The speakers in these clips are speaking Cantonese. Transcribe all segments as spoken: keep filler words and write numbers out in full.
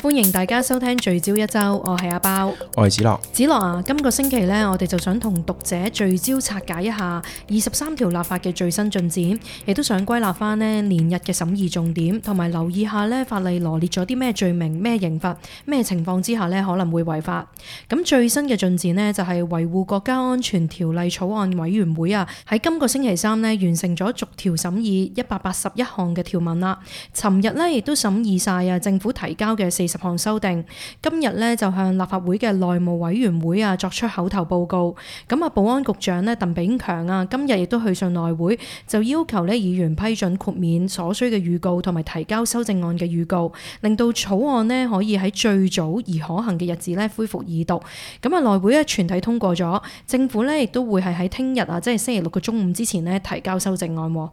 歡迎大家收聽聚焦一周，我係阿包，我係子樂。子樂啊，今個星期呢，我哋就想同讀者聚焦拆解一下二十三條立法嘅最新進展，亦都想歸納翻呢連日嘅審議重點，同埋留意下呢法例羅列咗啲咩罪名、咩刑罰、咩情況之下呢可能會違法。咁最新嘅進展呢，就係維護國家安全條例草案委員會啊，喺今個星期三呢完成咗逐條審議一百八十一項嘅條文啦。尋日呢亦都審議晒啊政府提交嘅四十項修訂，今日呢就向立法會嘅內務委員會啊作出口頭報告。咁啊，保安局長呢鄧炳強啊，今日亦都去信內會，就要求呢議員批准豁免所需嘅預告同埋提交修正案嘅預告，令到草案呢可以喺最早而可行嘅日子呢恢復二讀。咁啊，內會呢全體通過咗，政府呢亦都會係喺聽日啊，即係星期六嘅中午之前呢提交修正案。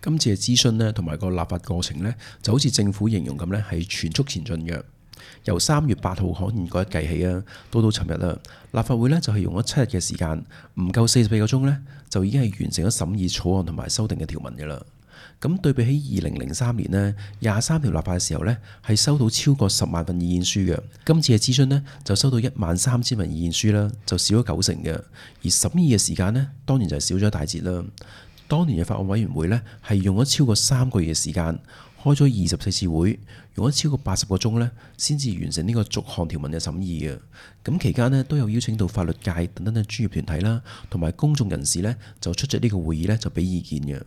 今次嘅諮詢呢，同埋個立法過程呢，就好似政府形容咁呢，係全速前進嘅。由三月八號刊憲嗰日計起啊，到到尋日啦，立法會呢就係用咗七日嘅時間，唔夠四十四個鐘呢，就已經係完成咗審議草案同埋修訂嘅條文嘅啦。咁對比起二零零三年呢，廿三條立法嘅時候呢，係收到超過十萬份意見書嘅。今次嘅諮詢呢，就收到一萬三千份意見書啦，就少咗九成嘅。而審議嘅時間呢，當然就係少咗一大截啦。當年嘅法案委員會呢，係用咗超過三個月嘅時間，開咗二十四次會，用咗超過八十個鐘呢，先至完成呢個逐項條文嘅審議嘅。咁期間呢，都有邀請到法律界等等嘅專業團體啦，同埋公眾人士呢，就出席呢個會議呢，就俾意見嘅。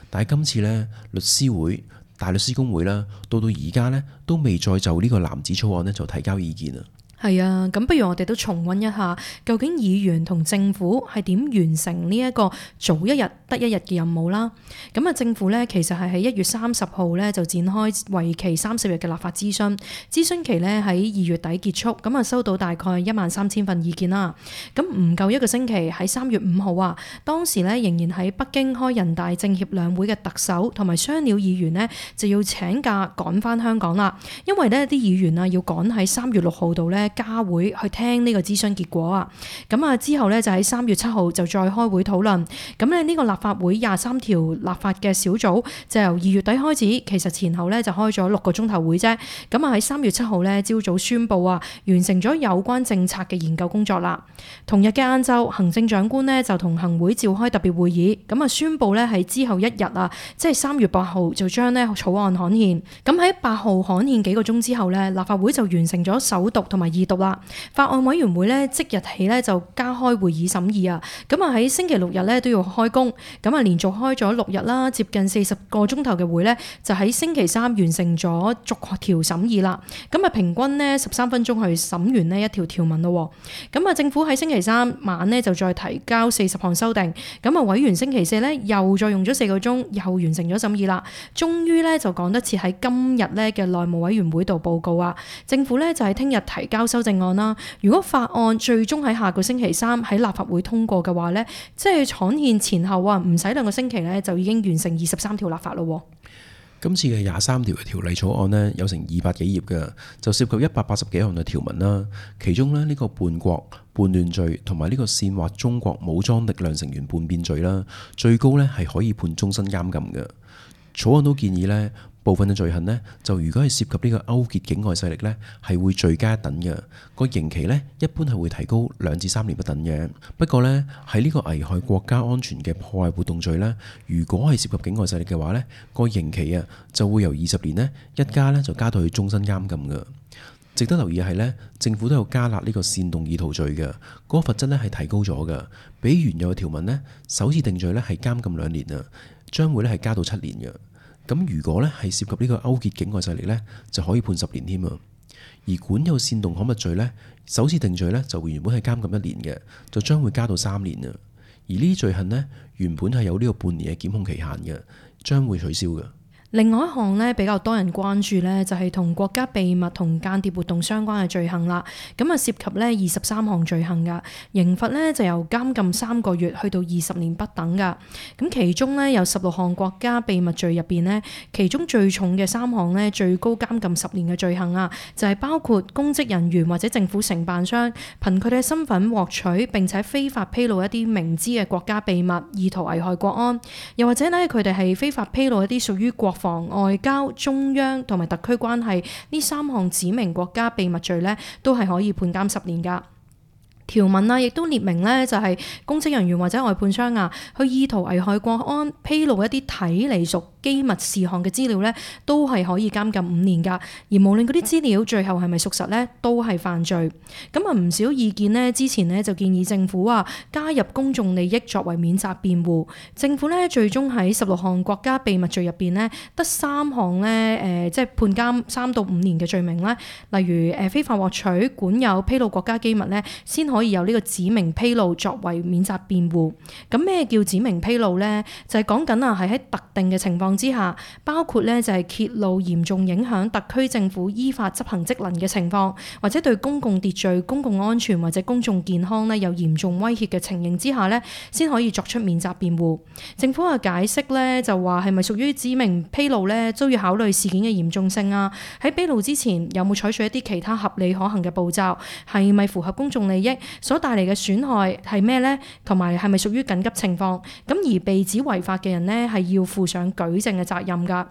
但係今次呢，律師會、大律師公會啦，到到而家呢，都未再就呢個藍紙草案呢，就提交意見啊。係啊，咁不如我哋都重溫一下，究竟議員同政府係點完成呢一個早一日得一日嘅任務啦？咁啊，政府呢其實係喺一月三十號呢就展開為期三十日嘅立法諮詢，諮詢期呢喺二月底結束，咁啊收到大概一萬三千份意見啦。咁唔夠一個星期，喺三月五號啊，當時呢仍然喺北京開人大政協兩會嘅特首同埋雙料議員呢就要請假趕返香港啦，因為呢啲議員啊要趕喺三月六號度呢加會去聽呢個諮詢結果啊，咁啊之後呢，就喺三月七號就再開會討論，咁咧呢個立法會廿三條立法嘅小組就由二月底開始，其實前後呢就開咗六個鐘頭會啫，咁啊喺三月七號呢，朝早宣布啊完成咗有關政策嘅研究工作啦。同日嘅晏晝，行政長官呢就同行會召開特別會議，咁啊宣布呢喺之後一日啊，即係三月八號就將呢草案刊憲，咁喺八號刊憲幾個鐘之後呢，立法會就完成咗首讀同埋二讀啦。法案委員會咧即日起咧就加開會議審議啊，咁啊喺星期六日咧都要開工，咁啊連續開咗六日啦，接近四十個鐘頭嘅會咧，就喺星期三完成咗逐條審議啦。咁啊平均呢十三分鐘去審完呢一條條文咯。咁啊政府喺星期三晚呢就再提交四十項修訂，咁啊委員星期四咧又再用咗四個鐘，又完成咗審議啦。終於咧就趕得切喺今日咧嘅內務委員會度報告啊，政府咧就喺聽日提交修正案啦。如果法案最終喺下個星期三喺立法會通過嘅話呢，即係刊憲前後啊，唔使兩個星期呢，就已經完成二十三條立法咯。今次嘅廿三條嘅條例草案呢，有成二百幾頁嘅，就涉及一百八十幾項嘅條文啦。其中呢，呢個叛國、叛亂罪同埋呢個煽惑中國武裝力量成員叛變罪啦，最高呢係可以判終身監禁嘅。草案都建議呢，部分嘅罪行呢，就如果係涉及呢個勾結境外勢力呢，係會罪加一等嘅。個刑期呢，一般係會提高兩至三年不等嘅。不過呢，喺呢個危害國家安全嘅破壞活動罪呢，如果係涉及境外勢力嘅話呢，個刑期啊就會由二十年呢，一加呢，就加到去終身監禁嘅。值得留意係呢，政府都有加納呢個煽動意圖罪嘅，嗰個罰則呢係提高咗嘅，比原有嘅條文呢，首次定罪呢係監禁兩年啊，將會呢係加到七年嘅。咁如果咧係涉及呢個勾結境外勢力呢，就可以判十年添啊。而管有煽動刊物罪呢，首次定罪呢就原本係監禁一年嘅，就將會加到三年啊。而呢啲罪行呢，原本係有呢個半年嘅檢控期限嘅，將會取消嘅。另外一項咧比較多人關注咧，就係同國家秘密同間諜活動相關嘅罪行啦。咁啊涉及咧二十三項罪行噶，刑罰咧就由監禁三個月去到二十年不等噶。咁其中咧有十六項國家秘密罪入邊咧，其中最重嘅三項咧最高監禁十年嘅罪行啊，就係包括公職人員或者政府承辦商憑佢哋嘅身份獲取並且非法披露一啲明知嘅國家秘密，意圖危害國安，又或者咧佢哋係非法披露一啲屬於國防防、外交、中央同埋特區關係呢三項指明國家秘密罪呢，都係可以判監十年㗎。條文啊，亦都列明呢，就係公職人員或者外判商啊，去意圖危害國安、披露一啲睇嚟屬機密事項嘅資料呢，都係可以監禁五年㗎。而無論嗰啲資料最後係咪屬實呢，都係犯罪。咁啊，唔少意見呢，之前呢就建議政府啊加入公眾利益作為免責辯護。政府呢最終喺十六項國家秘密罪入邊呢，得三項呢，誒、呃，即係判監三到五年嘅罪名呢，例如誒非法獲取、管有、披露國家機密呢，先可以有呢個指明披露作為免責辯護。咁咩叫指明披露呢？就係講緊啊，係喺特定嘅情況之下，包括咧就係揭露嚴重影響特區政府依法執行職能嘅情況，或者對公共秩序、公共安全或者公眾健康咧有嚴重威脅嘅情形之下咧，先可以作出免責辯護。政府嘅解釋咧就話係咪屬於指明披露咧，都要考慮事件嘅嚴重性啊。喺披露之前有冇採取一啲其他合理可行嘅步驟，係咪符合公眾利益，所帶嚟嘅損害係咩呢？同埋係咪屬於緊急情況？咁而被指違法嘅人呢，係要負上舉證嘅責任㗎。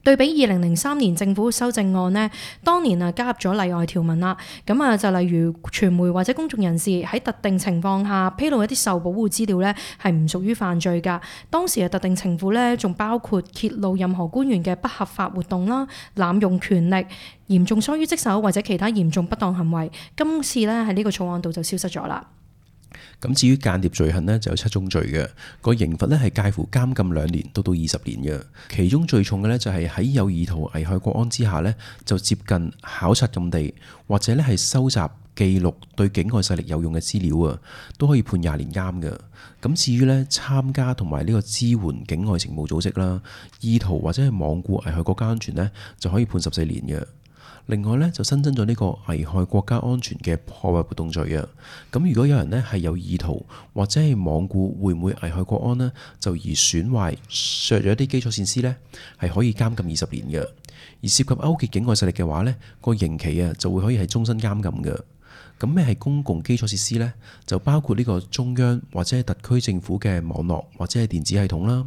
對比二零零三年政府修正案呢，當年啊加入咗例外條文啦。咁啊就例如傳媒或者公眾人士喺特定情況下披露一啲受保護資料呢，係唔屬於犯罪㗎。當時嘅特定情況呢，仲包括揭露任何官員嘅不合法活動啦、濫用權力、嚴重疏於職守或者其他嚴重不當行為。今次呢，喺呢個草案度就消失咗啦。咁至於間諜罪行呢，就有七宗罪嘅，個刑罰呢係介乎監禁兩年到到二十年嘅。其中最重嘅呢，就係喺有意圖危害國安之下呢，就接近考察禁地或者呢係收集記錄對境外勢力有用嘅資料啊，都可以判廿年監嘅。咁至於呢，參加同埋呢個支援境外情報組織啦，意圖或者係罔顧危害國家安全呢，就可以判十四年嘅。另外咧就新增咗呢個危害國家安全嘅破壞活動罪啊！咁如果有人呢係有意圖或者係罔顧會唔會危害國安呢，就而損壞削弱一啲基礎設施呢，係可以監禁二十年嘅。而涉及勾結境外勢力嘅話呢，個刑期啊就會可以係終身監禁嘅。咁咩係公共基礎設施呢？就包括呢個中央或者係特區政府嘅網絡或者係電子系統啦、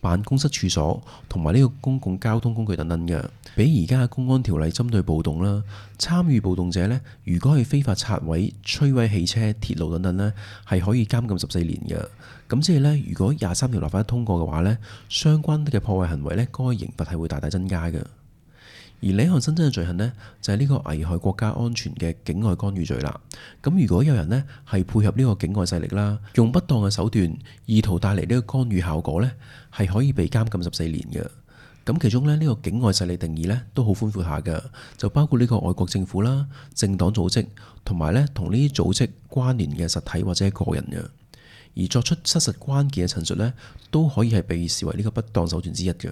辦公室處所同埋呢個公共交通工具等等嘅。比而家嘅公安條例針對暴動啦，參與暴動者呢，如果係非法拆毀、摧毀汽車、鐵路等等呢，係可以監禁十四年嘅。咁即係呢，如果廿三條立法一通過嘅話呢，相關嘅破壞行為呢，該刑罰係會大大增加嘅。而另一項新增嘅罪行呢，就係呢個危害國家安全嘅境外干預罪啦。咁如果有人呢係配合呢個境外勢力啦，用不當嘅手段，意圖帶嚟呢個干預效果呢，係可以被監禁十四年嘅。咁其中呢，呢個境外勢力定義呢都好寬闊下嘅，就包括呢個外國政府啦、政黨組織同埋呢同呢啲組織關聯嘅實體或者個人嘅。而作出失實關鍵嘅陳述呢，都可以係被視為呢個不當手段之一嘅。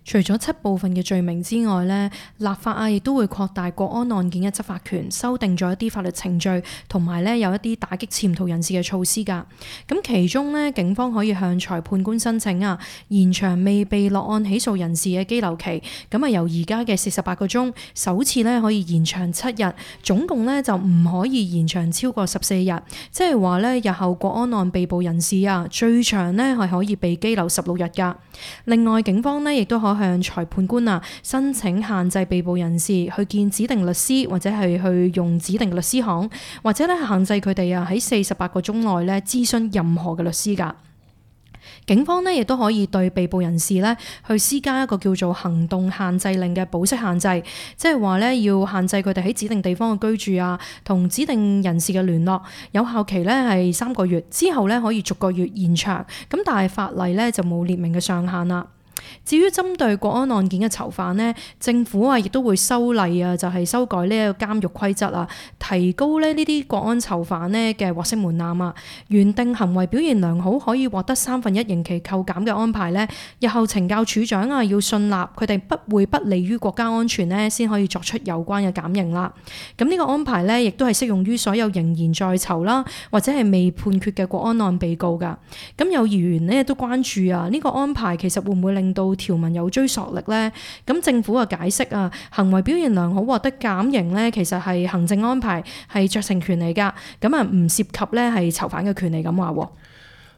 除咗七部分嘅罪名之外呢，立法啊亦都會擴大國安案件嘅執法權，修訂咗一啲法律程序，同埋呢有一啲打擊潛逃人士嘅措施㗎。咁其中呢，警方可以向裁判官申請啊，延長未被落案起訴人士嘅羈留期。咁啊由而家嘅四十八個鐘，首次呢可以延長七日，總共呢就唔可以延長超過十四日。即係話呢，日後國安案被捕人士啊，最長呢係可以被羈留十六日㗎。另外，警方呢亦都可向裁判官啊申請限制被捕人士去見指定律師，或者係去用指定律師行，或者咧限制佢哋啊喺四十八個鐘內咧諮詢任何嘅律師㗎。警方呢亦都可以對被捕人士呢去施加一個叫做行動限制令嘅保釋限制，即係話呢要限制佢哋喺指定地方嘅居住啊，同指定人士嘅聯絡，有效期呢係三個月，之後呢可以逐個月延長。咁但係法例呢就冇列明嘅上限啦。至於針對國安案件嘅囚犯呢，政府啊亦都會修例啊，就係修改呢一個監獄規則啊，提高咧呢啲國安囚犯呢嘅獲釋門檻啊。原定行為表現良好可以獲得三分一刑期扣減嘅安排呢，日後懲教處長啊要信納佢哋不會不利於國家安全呢，先可以作出有關嘅減刑啦。咁呢個安排呢，亦都係適用於所有仍然在囚啦，或者係未判決嘅國安案被告㗎。咁有議員呢都關注啊，呢個安排其實會唔會令到條文有追溯力呢？咁政府嘅解釋啊，行為表現良好獲得減刑呢，其實係行政安排，係酌情權嚟㗎。咁啊，唔涉及呢係囚犯嘅權利咁話。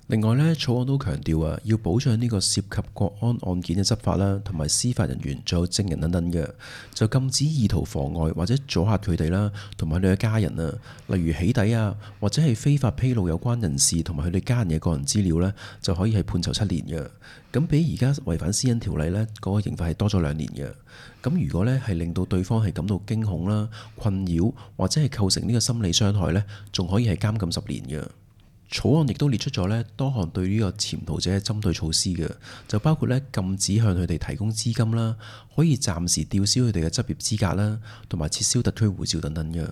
另外呢，草案都強調啊，要保障呢個涉及國安案件嘅執法啦，同埋司法人員，仲有證人等等嘅，就禁止意圖妨礙或者阻嚇佢哋啦，同埋佢哋嘅家人啊，例如起底啊，或者係非法披露有關人士同埋佢哋家人嘅個人資料呢，就可以係判囚七年嘅。咁比而家違反私隱條例呢，嗰個刑罰係多咗兩年嘅。咁如果呢係令到對方係感到驚恐啦、困擾或者係構成呢個心理傷害呢，仲可以係監禁十年嘅。草案亦都列出咗呢多項對呢個潛逃者嘅針對措施嘅，就包括呢禁止向佢哋提供資金啦，可以暫時吊銷佢哋嘅執業資格啦，同埋撤銷特區護照等等嘅。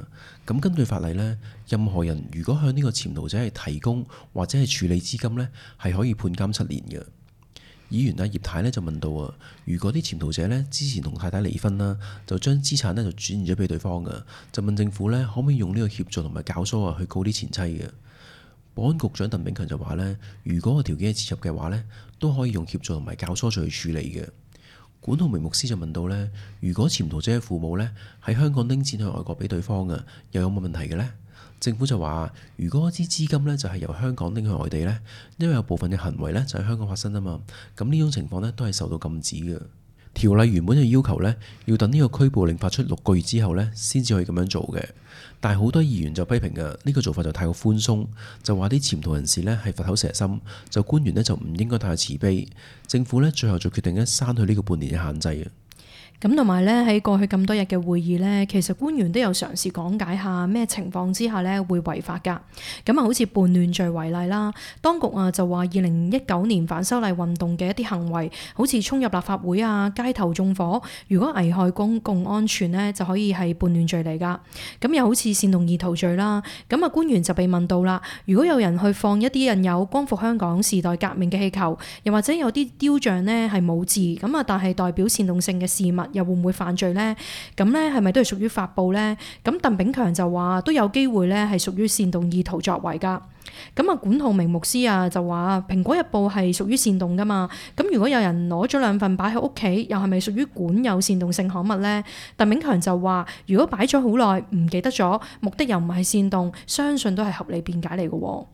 咁根據法例呢，任何人如果向呢個潛逃者係提供或者係處理資金呢，係可以判監七年嘅。議員啊葉太呢就問到啊，如果啲潛逃者呢之前同太太離婚啦，就將資產呢就轉移咗俾對方嘅，就問政府呢可唔可以用呢個協助同埋教唆啊去告啲前妻嘅。保安局長鄧炳強就話呢，如果個條件係切入嘅話呢，都可以用協助同埋教唆罪去處理嘅。管浩明牧師就問到呢，如果潛逃者嘅父母呢喺香港拎錢去外國俾對方嘅，又有冇問題嘅呢？政府就話，如果一啲資金呢就係由香港拎去外地呢，因為有部分嘅行為呢就喺香港發生啊嘛，咁呢種情況呢都係受到禁止嘅。條例原本就要求呢，要等呢個拘捕令發出六個月之後呢先至可以咁樣做嘅。但係好多議員就批評嘅呢個做法就太過寬鬆，就話啲潛逃人士呢係佛口蛇心，就官員呢就唔應該太過慈悲。政府呢最後就決定呢刪去呢個半年嘅限制啊。咁同埋咧喺過去咁多日嘅會議呢，其實官員都有嘗試講解下咩情況之下呢會違法㗎。咁啊，好似叛亂罪為例啦，當局啊就話二零一九年反修例運動嘅一啲行為，好似衝入立法會啊、街頭縱火，如果危害公共安全呢，就可以係叛亂罪嚟㗎。咁又好似煽動意圖罪啦。咁啊，官員就被問到啦，如果有人去放一啲印有光復香港時代革命嘅氣球，又或者有啲雕像呢係冇字，咁啊但係代表煽動性嘅事物，又會唔會犯罪呢？咁呢係咪都係屬於發布呢？咁鄧炳強就話都有機會呢係屬於煽動意圖作為㗎。咁啊，管浩明牧師啊就話《蘋果日報》係屬於煽動㗎嘛。咁如果有人攞咗兩份擺喺屋企，又係咪屬於管有煽動性刊物呢？鄧炳強就話如果擺咗好耐唔記得咗，目的又唔係煽動，相信都係合理辯解嚟嘅。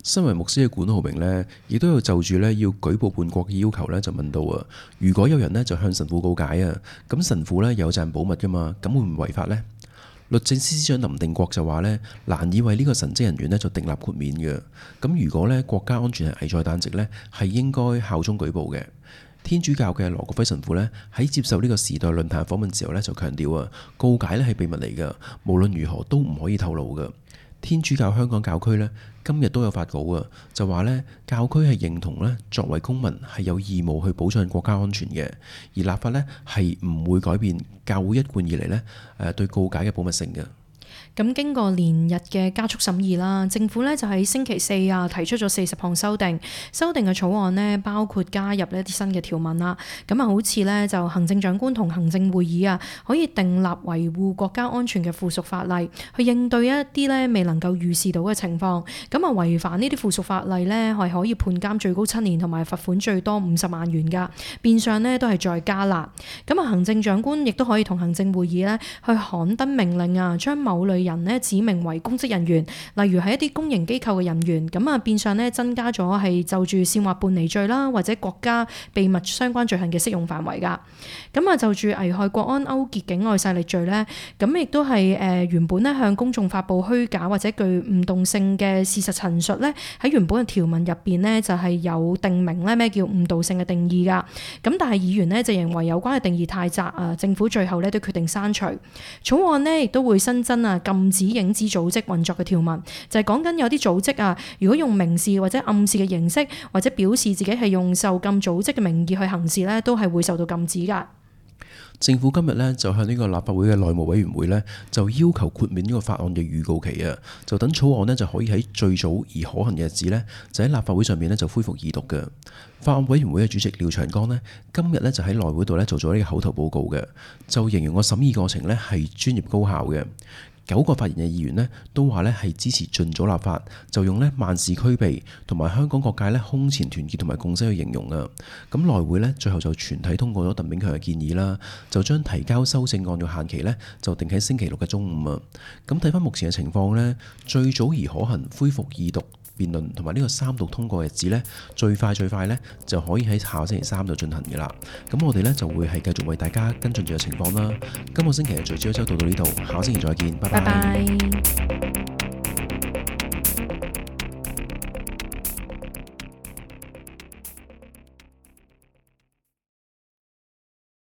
身為牧師嘅管浩明呢，亦都有就住呢要舉報叛國嘅要求呢，就問到啊，如果有人呢就向神父告解啊，咁神父呢有責任保密噶嘛，咁會唔會違法呢？律政司司長林定國就話呢，難以為呢個神職人員呢就訂立豁免嘅。咁如果呢國家安全係危在旦夕呢，係應該效忠舉報嘅。天主教嘅羅國輝神父呢，喺接受呢個時代論壇訪問時候呢，就強調啊，告解呢係秘密嚟噶，無論如何都唔可以透露噶。天主教香港教區呢，今日都有發稿啊，就話呢教區係認同呢作為公民係有義務去保障國家安全嘅，而立法呢係唔會改變教會一貫以嚟呢誒對告解嘅保密性嘅。咁經過連日嘅加速審議啦，政府呢就喺星期四啊提出咗四十項修訂，修訂嘅草案呢包括加入一啲新嘅條文啦。咁啊，好似呢就行政長官同行政會議啊可以訂立維護國家安全嘅附屬法例，去應對一啲呢未能夠預視到嘅情況。咁啊，違反呢啲附屬法例呢係可以判監最高七年，同埋罰款最多五十萬元㗎。變相呢都係再加辣。咁啊，行政長官亦都可以同行政會議呢去刊登命令啊，將某類人呢指明為公職人員，例如係一啲公營機構嘅人員，咁啊變相呢增加咗係就住煽惑叛離罪啦，或者國家秘密相關罪行嘅適用範圍噶。咁啊就住危害國安勾結境外勢力罪呢，咁亦都係誒原本呢向公眾發布虛假或者具誤導性嘅事實陳述呢，喺原本嘅條文入邊呢，就係有定明呢咩叫誤導性嘅定義噶。咁但係議員呢就認為有關嘅定義太窄啊，政府最後呢都決定刪除。草案呢亦都會新增啊禁止影子組織運作嘅條文，就係講緊有啲組織啊，如果用明示或者暗示嘅形式，或者表示自己係用受禁組織嘅名義去行事呢，都係會受到禁止噶。政府今日呢，就向呢個立法會嘅內務委員會呢，就要求豁免呢個法案嘅預告期啊，就等草案呢，就可以喺最早而可行嘅日子呢，就喺立法會上面呢，就恢復二讀嘅。法案委員會嘅主席廖長江呢，今日呢，就喺內會度呢，做咗呢個口頭報告嘅，就形容個審議過程呢，係專業高效嘅。九個發言嘅議員呢，都話呢係支持盡早立法，就用呢萬事俱備同埋香港各界呢空前團結同埋共識去形容啊。咁內會呢，最後就全體通過咗鄧炳強嘅建議啦，就將提交修正案嘅限期呢，就定喺星期六嘅中午啊。咁睇翻目前嘅情況呢，最早而可行恢復二讀辯論同埋呢個三讀通過嘅日子呢，最快最快呢就可以喺下個星期三度進行嘅啦。咁我哋呢就會係繼續為大家跟進住嘅情況啦。今個星期嘅聚焦一周到到呢度，下個星期再見，拜拜。拜拜。